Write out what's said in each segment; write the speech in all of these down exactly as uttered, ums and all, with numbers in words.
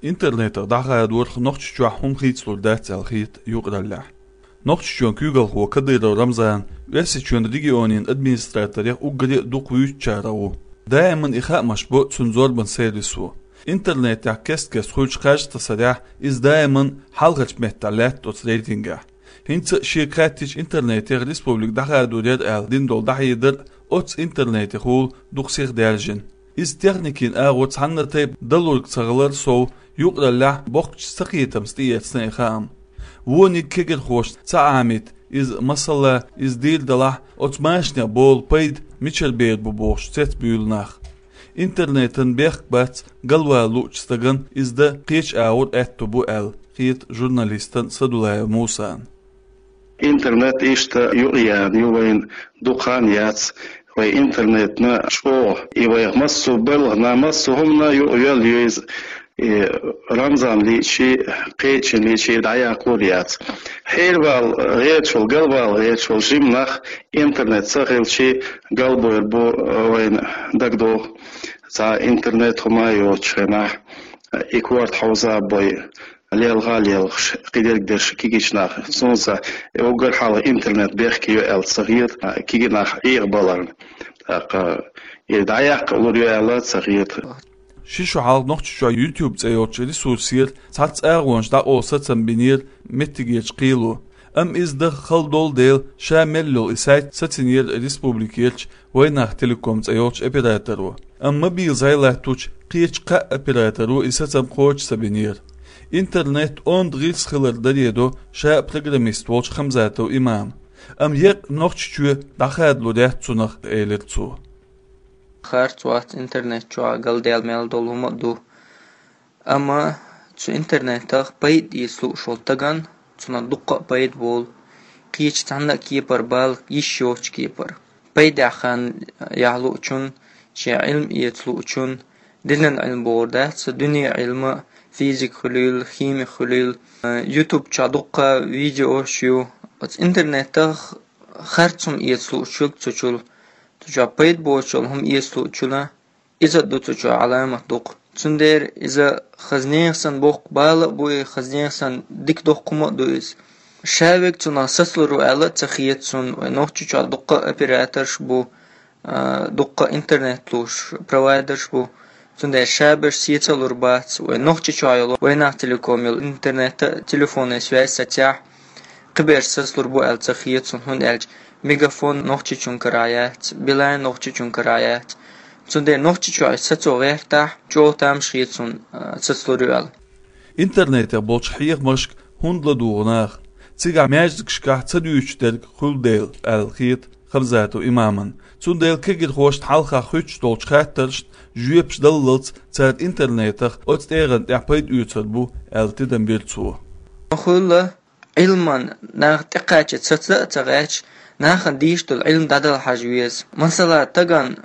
Интернетах дӀахадорах Нохчийчохь хӀума хийцалур дац аьлла хета юкъараллехь. Нохчийчоьнан куьйгалхо Кадыров Рамзана Оьрсийчоьнан регионийн администраторех уггаре а дукха вуьйцучарах ву. Даиман и хаамаш бо цуьнан зорбан сервисо. Интернетехь кест-кеста хуьлучу кхаж тасарехь, иза даиман хьалхарчу меттехь лаьтта оцу рейтингехь. ХӀинца а шега хаьттича интернетех республика дӀахадор яра аьлла дина долу дӀахьедар оццу интернетехула дукха сиха даьржина. Иза техникин агӀо цхьанна тайпа далург ца хилар сов, юкъараллехь боккхачу цакхетамца тӀеэцна и хаам. Вониг кегирхошна ца Ӏамийта иза, масала, иза дийр далахь, оцу машанех болу пайда мичара бер бу бохуш цецбуьйлу нах. Интернетан бехк бац галвала луучу стагана иза дан кхечу агӀор аьтто бу аьлла, хета журналистана Садулаев Мусана. Интернет иштта юкъаяьлла ю вайна дукха хан яц, вай интернетна чӀогӀа, и вайх массо а белхана, массо а хӀуманна юкъайоьлла ю иза, и Рамзан лиъчий, кхечийн лиъчий дӀаяккхалур яц. Хьервала гӀерташ волу, галвала гӀерташ волу жима нах интернет ца хилчий галбойр бу вайна дагадогӀу. Цхьа интернет хӀума а йоцучу хенахь, и корта хьовза а бой, лелха а лелхаш, кхидерг дерш кегийчу нах. Цунца уггар хьалха интернет бехке ю аьлла ца хета, кегий нах Ӏехабаларна. ТӀаккха и дӀаяккха лур ю аьлла ца хета. Ши шо хьалха Нохчийчохь YouTube цӀе йолчу ресурсера цхьацца агӀонаш дӀакъовла сацам бинера меттигерчу кхело. Амма иза даха хала долу дела, ша мел йолу и сайт сацийнера республикерчу Вайнах Телеком цӀе йолчу операторо. Амма мобил зӀе латточу кхечу кхаа операторо и сацам кхочуш ца бинера. Интернет онда гӀирс хилар даре до ша а программист волчу Хамзатов Имама. Амма еккъа Нохчийчоь дӀахадалур яц цунах, элира цо. Харц вац интернет чохь галдаьлла мел долу хӀума а ду. Амма цу интернетах пайда эца лууш волу стагана, цунах дуккха а пайда болу, кхечу цхьанна а кепара бала йиш йоцучу кепара. Пайдехь хан яхь луучун, шен Ӏилма эца луучун, динан Ӏилма бохур дац, дуьне Ӏилма, физика хуьлийла, химия хуьлийла. YouTube чохь дуккха видеош ю. Оцу интернетах харц хӀума эца луучуьнга цу чул, цу чохь пайда боцуш йолу хӀума эца луучунна, иза а ду цу чохь Ӏаламат дукха. Цундела иза хаза нехан санна боккха бала а бу, и хаза нехан санна дика доккха хӀума а ду иза. Ша верг цунах сацалур ву аьлла а ца хета суна, вай Нохчийчохь дуккха а операторш бу, а, дуккха а интернет луш провайдерш бу. Цундела ша берш сецалур бац, вай Нохчийчохь йолу, Вайнах Телеком йолу интернет а, телефонный связь сацахь, кхиберш сацалур бу аьлла ца хета суна, хӀунда аьлча Мегафон Нохчийчуьнан карахь яц, Билайн Нохчийчуьнан карахь яц. Цундела Нохчийчохь сацо гӀертахь, чӀогӀа тамаш хета суна, а, сацалур ю аьлла. Интернетехь болчу хьехамашка хӀунда ладугӀу наха? Цигахь маьждигашкахь ца дуьйцуш дерг хуьлу дела, аьлла хета Хамзатов Имаман. Цундела кегирхошна хьалха хуьттуш долчу хаттаршна жоьпаш даллалц цара интернетах оцу тӀегӀан тӀехь пайда оьцур бу, аьлла тидам бира цо. Хуьлу Ӏилман наха тӀекхача саца а ца гӀерташ, нахана дийш долу Ӏилма дӀадала хьажа веза. Масала, тагана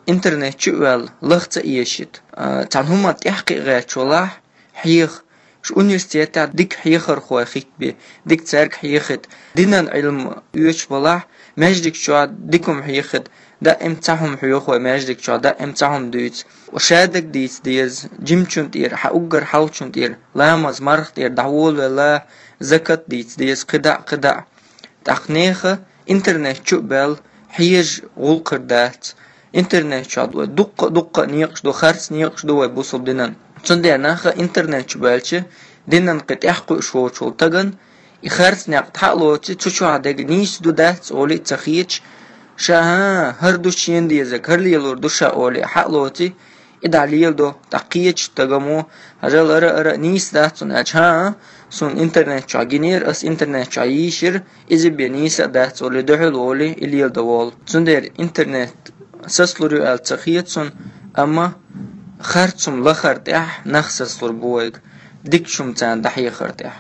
интернет чу а ваьлла, лах ца эшийта. А, цхьана хӀуманна тӀаьхьакхиа гӀерташ валахь, хьеха, шу университетехь дика хьехархой хӀиттабе, дика цаьрга хьехийта, динан Ӏилма оьцуш балахь, маьждиг чохь дика хӀума хьехийта, даим цхьа хӀума хьоьху вай маьждиг чохь, даим цхьа хӀума дуьйцу. Ша дерг дийца деза, жимачун тӀера, хьан уггар хьалхачун тӀера, ламаз, марха тӀера дӀаволавелла, закат дийца деза, кхидӀа а, кхидӀа а. ТӀаккха нехан интернет чу а баьлла, хьежа гӀуллакх хир дац. Интернет чохь вай дуккха а, дуккха а некъаш ду, харц некъаш ду вай бусалба динан. Цундела наха интернет чу баьлча, динан кхин тӀаьхьакхуьуш воцуш волу тагана, и харц некъ хьа а лоций, цу чохь дерг нийса ду дац олий а ца хеташ, ша, хӀан, хӀара ду шена дезарг, хӀара лелор ду ша олий, хьа а лоций, и дӀа леладо, тӀаккха кхечу стага мо, хьажал, ара, ара, нийса дац цунна аьлча, хӀан, суна интернет чохь гинера, ас интернет чохь йийшира, иза бен нийса а дац олий, дуьхьал волий, и леладо волу. Цундела интернет сацалур ю аьлла ца хета суна, амма харц хӀума лахар тӀехь нах сацалур бу вайга, дикачу хӀума царна дӀахьехар тӀехь.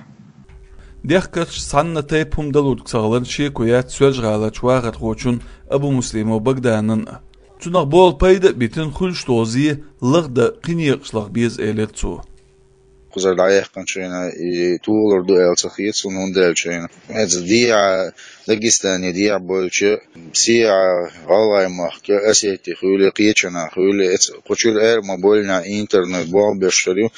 Дехкарш цхьанна тайпа хӀума далург ца хиларна шеко яц Соьлжа-ГӀаларчу вахархочун Абумуслимов Багданан а. Цунах болу пайда а битина, хуьлуш долу зе лахдан кхин некъаш лаха беза, элира цо. Кхузара дӀаяьккхинчу хенахь и тухалур ду аьлла ца хета суна, хӀунда аьлча хьайна иза дехьа, Дагестане дехьа болчу, сехьа, ГӀалгӀай махка, Осети хуьлий, кхечанхьа хуьлий, эца кху чуьра ара ма боллинехь интернет болх беш хир ю.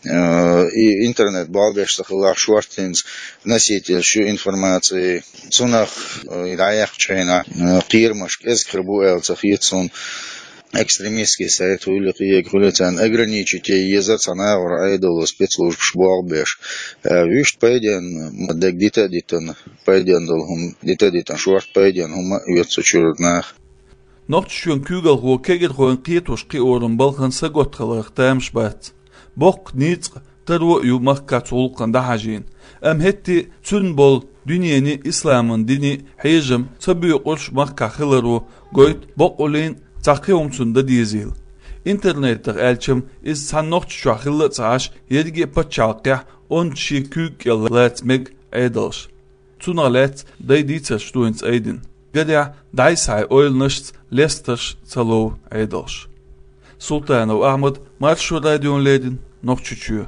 Э, и интернет болх беш ца хиларх шорттинца носитель шу информации. Цунах, э, и дӀаяьккхачу хенахь, э, кхерамаш кӀезиг хир бу аьлла ца хета суна. Экстремистский сайт хуьлу, кхиега хуьлу, царна ограничить е еза цхьана агӀор Ӏедало спецслужбаш болх беш. Э, вуьшта пайденна, ма дерг дита а дитина, пайденна долу хӀума дита а дитина, шорта пайденна хӀума а оьцу цу чуьра нах. Нохчийчоьнан куьйгалхо кегирхойн кхетош кхиоран балхан саготта хиларх тамаш бац. Боккха ницкъ, таро а ю махкахь цу гӀуллакхана дӀахьажийна. Амма хӀетте а цуьнан болу дуьненан а, исламан динан а хьежам ца боькъурш махкахь хиларо гойту боккъаллин цхьа кхин хӀума цунна дан дезийла. Интернетах аьлча-м иза цхьана Нохчийчохь хилла а ца Ӏаш, ерриге а пачхьалкхехь онда шен куьйга кӀел лаца мега Ӏедалш. Цунах лаьцна дай дийцарш ду хӀинца айдина. Гарехь, дӀай-схьай ойланашца лестарш ца лов Ӏедалш. Султанов Ахьмад, Маршо радиона леррина, Нохчийчоь.